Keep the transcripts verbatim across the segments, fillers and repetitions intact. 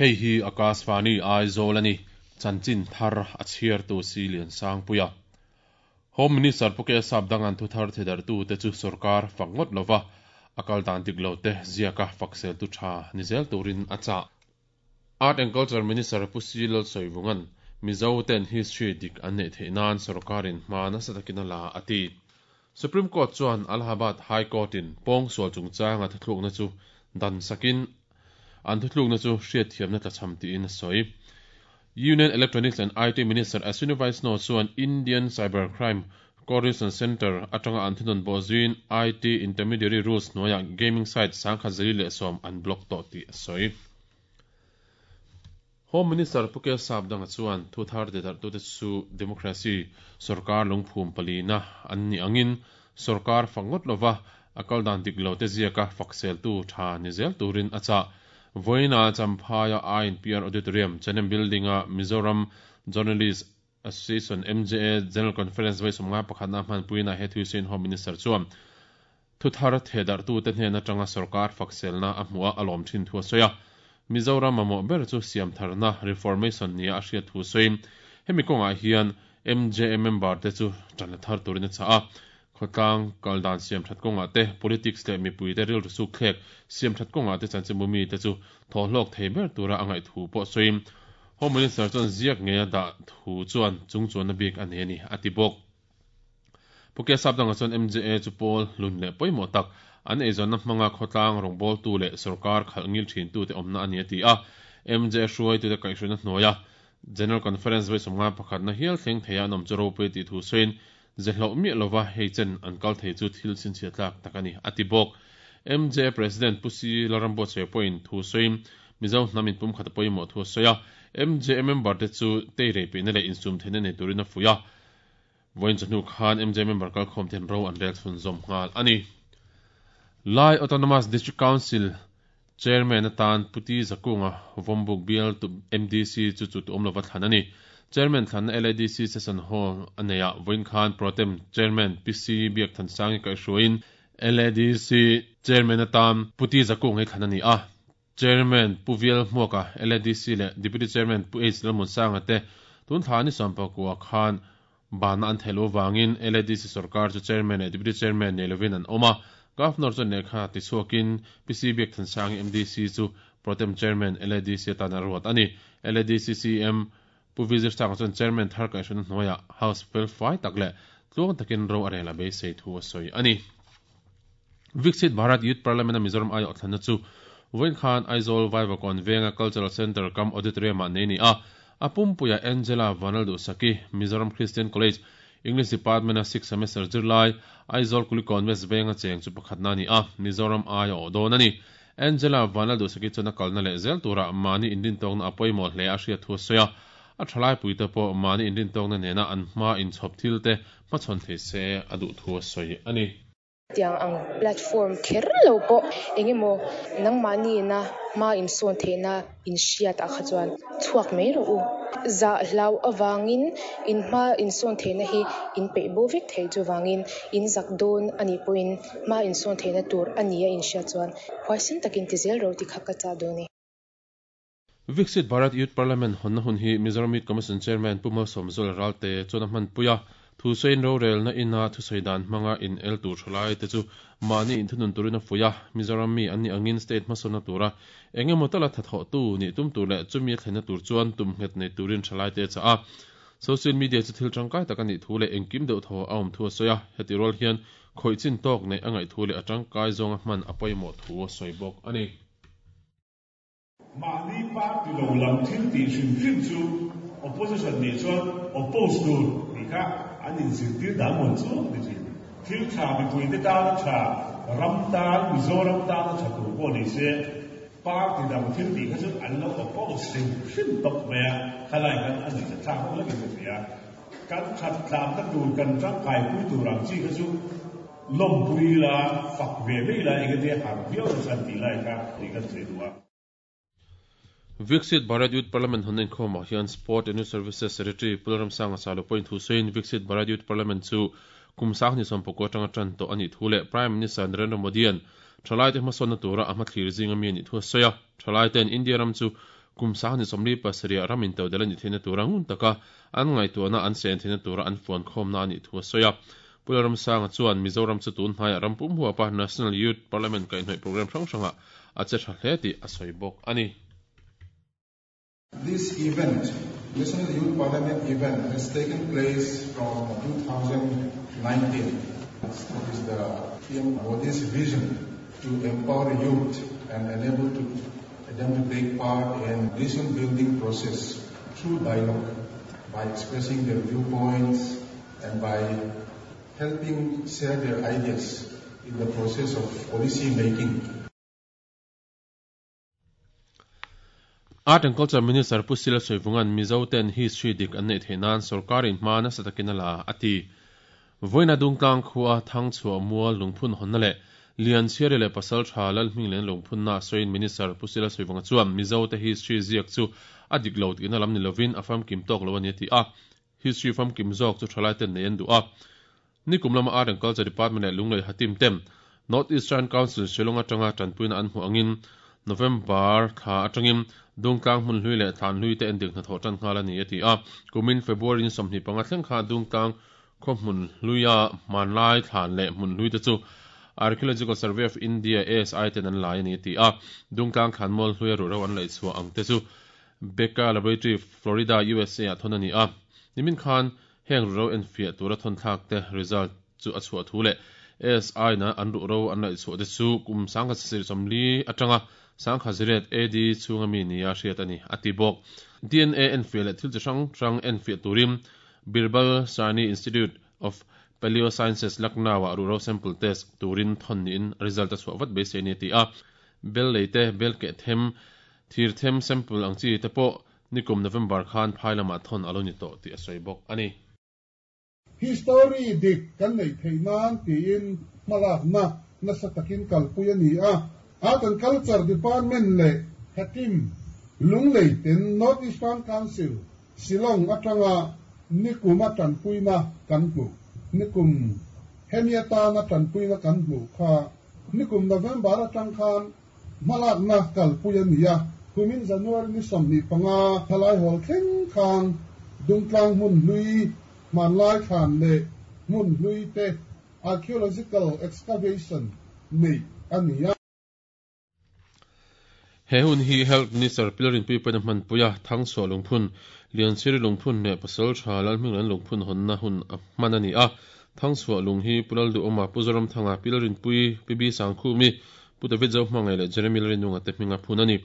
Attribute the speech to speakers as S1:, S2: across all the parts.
S1: Hei hi Akashvani Aizawl ani chanchin thar a chhiar tu si lian sang puia. Home Minister Puke Sap dangan thu thar thedar tu te chu sarkar fangot lova akal dan dik lo te ziaka faksel tu tha nizel turin acha. Art and Culture Minister Pusi Lal Soivungan Mizo ten history dik an nei theinan sarkarin hma na satakina la ati. Supreme Court chuan Allahabad High Court in pong sual chungchang a thluk na chu dan sakin an thluk na chu hriat thiam na tlacham ti in soi. Union Electronics and I T Minister Ashwini Vaishnaw chuan Indian Cybercrime Coordination Center atanga an thunon bozuin I T Intermediary Rules noya gaming site sangkha zali le som an block to ti soi. Home Minister Puke Sapdanga chuan thu thar de dar tu te chu democracy sarkar lungphum palina an ni angin sarkar fangot lova akal dan dik lo te ziaka faksel tu tha nizel turin acha. Voina Champhaya I N P R Auditorium Chanem Building a Mizoram Journalist Association M J A General Conference vai somnga pakhana man puina he thusin Home Minister chuan thu thar thedar tu te hnena tanga sarkar fakselna a hmua alom thin thu soya. Mizoram mamo ber chu siam tharna reformation nia a hriat thu soin hemi kawnga hian M J A member te chu tan thar turin a cha a khotlang kaldan siam that kawnga te politics le mipui te ril su khlek siam that kawnga te chanchimumi te chu thohlok thei ber tura angai thu pawh soin Home Minister chuan ziak nge da thu chuan chung chuan na bik ani ani ati bawk. Puke Sapdanga chuan M J A chu pawl lun le pawimawh tak an eizon na hmanga khotlang rawngbâwl tu leh sarkar khalh ngil thin tu te awmna ani ati a. M J A hruai tu te kaihhruina hnuaia General Conference vai sawmnga pakhat na hial thleng theia an awm chu ropui tih thu sawiin zehloh miah lova hei chen an kal thei chu thil chhinchhiah tlak tak ani ati bawk. M J A President Pusi Larambo che pawhin thu sawiin Mizo hnamin pum khat pawimawh thu sawi a. M J A member te chu teirei peihna leh insum theihna nei turin a fuih a. Vawiin chawhnu khan M J A member kalkhawm ten ro an rel chhun zawm nghal ani. Lai Autonomous District Council Chairman atan Puti Zakunga Vombuk Bial tu M D C chu chu tu awm lova thlan ani. Chairman thlan L A D C Session Hall aneia vawiin khan Protem Chairman P C Biak Thansangi kaihhruaiin L A D C Chairman atan Puti Zakung hei thlan ani a. Chairman Puviel Hmuaka L A D C le Deputy Chairman Pu H Lalmunsanga te tun thla ni sawmpakua khan bana an thelo wangin L A D C sarkar chu Chairman le Deputy Chairman nei lovin an awm a. Governor chuan lehkha ti chhuakin P C Biak Thansangi M D C chu Protem Chairman L A D C atan a ruat ani. L A D C C M Pu Vizir Sang chuan Chairman thar kaihhruina hnuaia House fel fai tak le tluang takin ro a rel a beisei thu a sawi ani. Viksit Bharat Youth Parliament a Mizoram ai awh thlanna chu vawiin khan Aizawl Vaivakawn Venga Cultural Center kam Auditorium ah nei ni a. A pumpuia Angela Vanaldu Saki Mizoram Christian College English Department a sixth semester zirlai Aizawl Kulikawn West Venga cheng chu pakhatna ni a. Mizoram ai awh dawn ani. Angela Vanaldu Saki chuan a kalna leh zel tura mahni inrin tawkna a pawimawh hle a hriat thu a sawi a. A thalai pui te pawh mahni inrin tawkna nena an hma inchhawp thil te hmachhawn thei se a duh thu a sawi ani.
S2: Tiang ang platform kher lo pawh engemaw nangmahni na hma insawn theihna inhriat ah kha chuan chhuak mai rawh u. Zah hlau awangin in hma insawn theihna hi in peih bo vek thei chu wangin in zak dawn ani pawhin hma insawn theihna tur ani a inhriat chuan huaisin takin ti zel ro ti kha ka cha dawn ni.
S1: Viksit Bharat Youth Parliament honna hun hi Mizoram Youth Commission Chairman Pu Malsawmzuala Ralte chuan a hman puia thu sawiin rorelna ina thusawi dan hmanga in el tur thalai te chu mahni inthunun turin a fuih a. Mizoram mi an ni angin state hmasawnna tura engemaw tala thathawh tu ni tum tur leh chumi a thlenna tur chuan tum nghet nei turin thalai te cha a. Social media chu thil tangkai tak ani thu leh engkim deuh thaw a awm thu a sawi a. Heti rual hian khawih chin tawk nei a ngaih thu leh a tangkai zawnga hman a pawimawh thu a sawi bawk ani.
S3: Mahni party lo lam thil tih hrim hrim chu opposition ni chuan oppose tur ti kha an inzirtir dan mawn chu ni thin. Thil tha mipui te tan a tha ram tan Mizoram tan a tha tur pawh ni se party dang thil tih kha chu an lo oppose hrim hrim tawp mai a. Khalai khan an ni thlak ho lekin ka hria. Kan that tlam ta tur kan tangkai pui tur ang chi kha chu lawm pui la fak ve mai la engati har viau na chan ti lai kha ti kan sawi duh a.
S1: Viksit Bharat Youth Parliament honna inkhawmah hian Sport and Youth Services Secretary Pulram Sanga Salo point thu sawiin Viksit Bharat Youth Parliament chu kum sang ni sawmpakua atanga tan tawh ani thu leh Prime Minister Narendra Modi an thalai te hmasawnna tura a hma thlir zinga mi ani thu a sawi a. Thalai ten India ram chu kum sang ni somli pasariah ramin to delani thina tura ngun taka an ngai tuana an sen thina tura an phone khom na ani thu soya Pularam Sanga chuan Mizoram chu tun hnai rampum huapa National Youth Parliament kai hnoi program hrang hranga a che tha hle ti a soi bawk ani.
S4: This event, National Youth Parliament event, has taken place from two thousand nineteen. It is the P M Modi's vision to empower youth and enable to, them to take part in nation building process through dialogue, by expressing their viewpoints and by helping share their ideas in the process of policy making.
S1: Art and Culture Minister Pusila Soivungan Mizo ten history dik an nei theinan sarkarin hma na satakin ala ati voina dungtlang khuwa thangchhuwa mual lungphun honna le lian chiare le pasal tha lal hming len lungphun na soin Minister Pusila Soivunga chuan Mizo te history ziak chu adik lo tina lam ni lovin afam kim tok lo ani ti a history fam kim zok chu thalai ten nei an du a nikum lama Art and Culture Department le lunglei hatim tem North Eastern Council Shillong atanga tanpuina an hmu angin November tha atangin dungtlang hmun hlui le thlan hlui te endik hna thawh tan nghal ani ati a kumin February ni sawmhnih panga thleng kha dungtlang khaw hmun hluia hmanlai thlan leh hmun hlui te chu Archaeological Survey of India A S I ten an lai ani ati a dungtlang thlanmual hluia ru ro an laih chhuah ang te chu Becca Laboratory Florida U S A ah thawn ani a nimin khan heng ru ro en fiah tura thawn thlak te result chu a chhuah thu le A S I na an ru ro an laih chhuah te chu kum sangkhat sir sawmli atanga sangkha ziret A D chunga mi nia hriat ani ati bawk D N A en fiah leh thil chi hrang hrang en fiah turin Birbal Sahni Institute of Paleosciences Lucknow ah ru ro sample test turin thawn niin result a chhuah vat beisei ani ti a bel leite bel ke them thir them sample ang chi te pawh nikum November khan phai lamah thawn alo ni tawh tih a sawi bawk ani.
S5: History dik kan nei theinan tiin hmalak na nasa takin kalpui ani a Art and Culture Department le Hatim Lunglei ten North Eastern Council Shillong atanga nikuma tanpuina kan hmu nikum hemiata na tanpuina kan hmu kha nikum November atang khan hmalak na kalpui ani a kumin January ni sawmhnih panga thalai hol thleng khan dungtlang hmun hlui hmanlai thlan leh hmun hlui te archaeological excavation nei ani a.
S1: He hun hi Health Minister Pilarin pui paina hman puia thangchhuah lungphun Lianchiri lungphun leh pasal tha lal hming lan lungphun hawnna hun a hman ani a thangchhuah lung hi Pulal du awma Puzoram thanga Pilarin pui P B Sangkhumi Pu David Zo hmangai leh Jeremy Lalrinunga te hminga phun ani.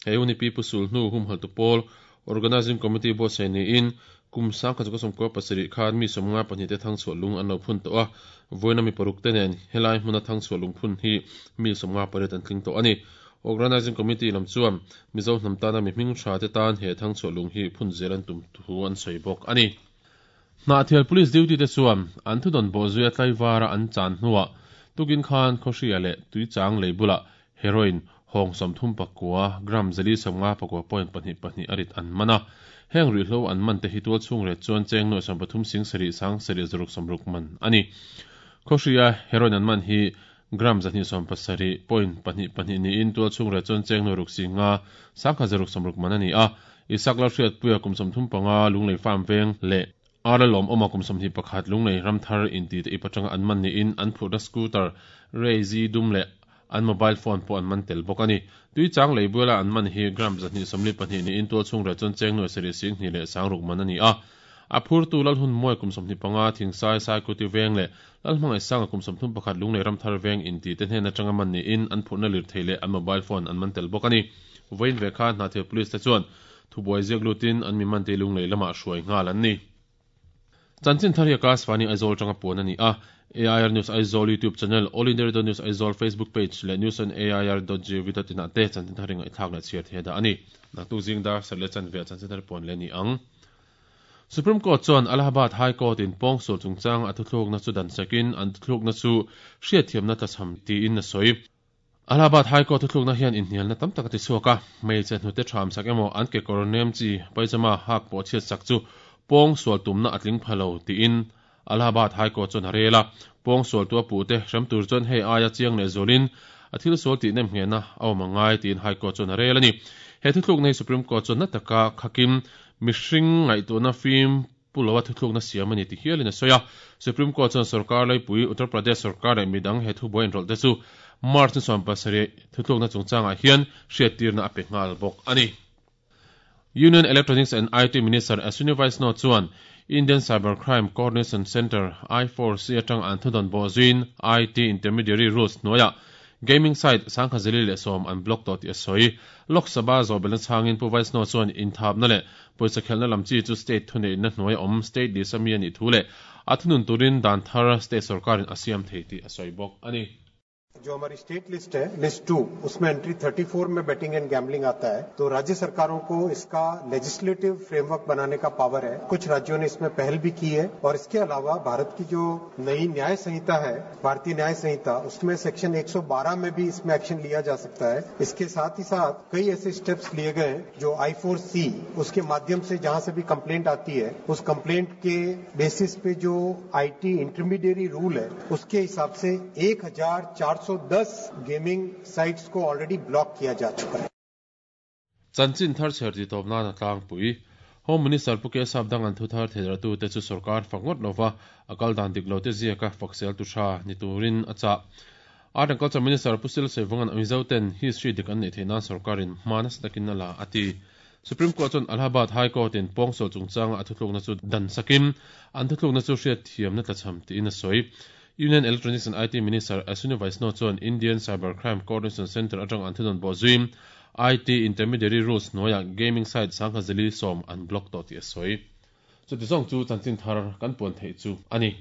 S1: He hun hi Pi Pusul hnu humhal tu pawl Organizing Committee bo sei niin kum sangkhat chu sawmkua pasarih khan mi sawmnga pahnih te thangchhuah lung an lo phun tawh a vawiina mi paruk te nen helai hmuna thangchhuah lungphun hi mi sawmnga pariat an tling tawh ani. Organizing Committee lam chuan Mizo hnam tana mi hming tha te tan he thangchhuah lung hi phun zel an tum thu an sawi bawk ani. Hnahthial police duty te chuan an thudawn bawh zuia tlaivara an chan hnuah tukin khan khawhria leh tuichang lei bulah heroin hawng sawmthum pakua gram zali sawmnga pakua point pahnih pahnih arit an mana heng ruihhlo an man te hi tual chhung re chuan cheng nuai sawm pathum sing sarih sang sarih zaruk sawmruk man ani. Khawhria heroin an man hi gram zahnih sawm pasarih point pahnih pahnih niin tual chhung re chuan cheng nuai ruk singa sangkhat zaruk sawmruk man ani a Isak la hriat puia kum sawmthum panga lunglei farm veng leh Ara lawm awma kum sawmhnih pakhat lunglei ramthar inti te ipatanga an man niin an phurhna scooter Rezi dum leh an mobile phone pawh an man tel bawk ani. Tuichang lei buala an man hi gram zahnih sawmli pahnih niin tual chhung re chuan cheng nuai sarih sing hnih leh sangruk man ani a a phurtu lal hun muai kum sawmhnih panga thingsai sai kuti veng leh lal hmangai sanga kum sawmthum pakhat lunglei ramthar veng inti te hnen atanga man niin an phurhna lir thei leh an mobile phone an man tel bawk ani. Vawiin ve kha hnahthial police te chuan thubuai ziak lutin an mi man te lunglei lamah hruai nghal an ni. Chanchin thar hi class fani Aizawl tanga puan ani a A I R News Aizawl YouTube channel, All India Radio News Aizawl Facebook page leh news on A I R dot G O V dot in ah te chanchin thar ringa i thlak leh chhiar thei da ani. Naktuk zing dar sar leh chan ve chanchin thar puan le ni ang. Supreme Court chuan Allahabad High Court in pawngsual chungchang a thuthluk na chu dan sakin an thuthluk na chu hriatthiamna na tlachham tiin a sawi. Allahabad High Court thuthluk na hian inhnial na tam tak a ti chhuak a hmeichhe hnute tham sak emaw an ke kawr nem chi paijama hak pawh chhiat sak chu pawngsual tumna a tling phalo tiin Allahabad High Court chuan a rel a pawngsual tu a puh te hrem tur chuan hei aia chiang leh zawlin a thil sual tih nem nghehna a awm angai tiin High Court chuan a rel ani. He thuthluk nei Supreme Court chuan na taka khakim mihring ngaihtuahna fim pulowa thuthluk na siam ani ti hialin a sawi a. Supreme Court chuan sarkar laipui Uttar Pradesh sarkar leh midang he thu buai inrawlh te chu March ni sawm pasarih thuthluk na chungchangah hian hriattirna a pe nghal bawk ani. Union Electronics and I T Minister Ashwini Vaishnaw chuan Indian Cybercrime Coordination Centre I four C atang an thudawn bawh zuiin I T Intermediary Rules hnuaiah gaming site sangkha zeli leh sawm an block tawh tih a sawi. Lok Sabha zawhbelna changin Pu Vaishnaw chuan inthapna leh pawisa khelhna lam chi chu state thuneihna hnuai awm state list ami anih thu leh a thunun turin dan thar state sarkarin a siam thei tih a sawi bawk ani.
S6: जो हमारी state list है list to उसमें entry thirty four में betting and gambling आता है, तो राज्य सरकारों को इसका लेजिस्लेटिव फ्रेमवर्क बनाने का पावर है। कुछ राज्यों ने इसमें पहल भी की है और इसके अलावा भारत की जो नई न्याय संहिता है, भारतीय न्याय संहिता, उसमें सेक्शन एक सौ बारह में भी इसमें एक्शन लिया जा सकता है। इसके साथ ही साथ कई ऐसे स्टेप्स लिए गए जो आई फोर सी उसके माध्यम से जहां से भी कंप्लेंट आती है उस कंप्लेंट के बेसिस पे जो I T intermediary rule है उसके हिसाब से एक हजार चार सौ दस गेमिंग साइट्स को ऑलरेडी ब्लॉक किया जा चुका है।
S1: Chanchin thar chher ti tawp nana tlangpui Home Minister Pu K Sapdang an thu thar theiratu te chu sarkar fangot lova akal dan dik lo te ziaka faksel tu tha ni turin acha. Art and Culture Minister Pu Sil Sevangan Mizo ten history dik an nei theina sarkarin hmanas takin ala ati. Supreme Court chuan Allahabad High Court in pawngsol chungchanga a thuthlukna chu dan sakim an thuthlukna chu hriat thiamna tlachham tiin a sawi. Union Electronics and I T Minister Ashwini Vaishnaw chuan Indian Cybercrime Coordination Centre atang an thudawn bawh zuiin I T Intermediary Rules hnuaiah gaming site sangkha zeli sawm an block tawh tih a sawi. Chuti zawng chu chanchin thar kan puan theih chu ani.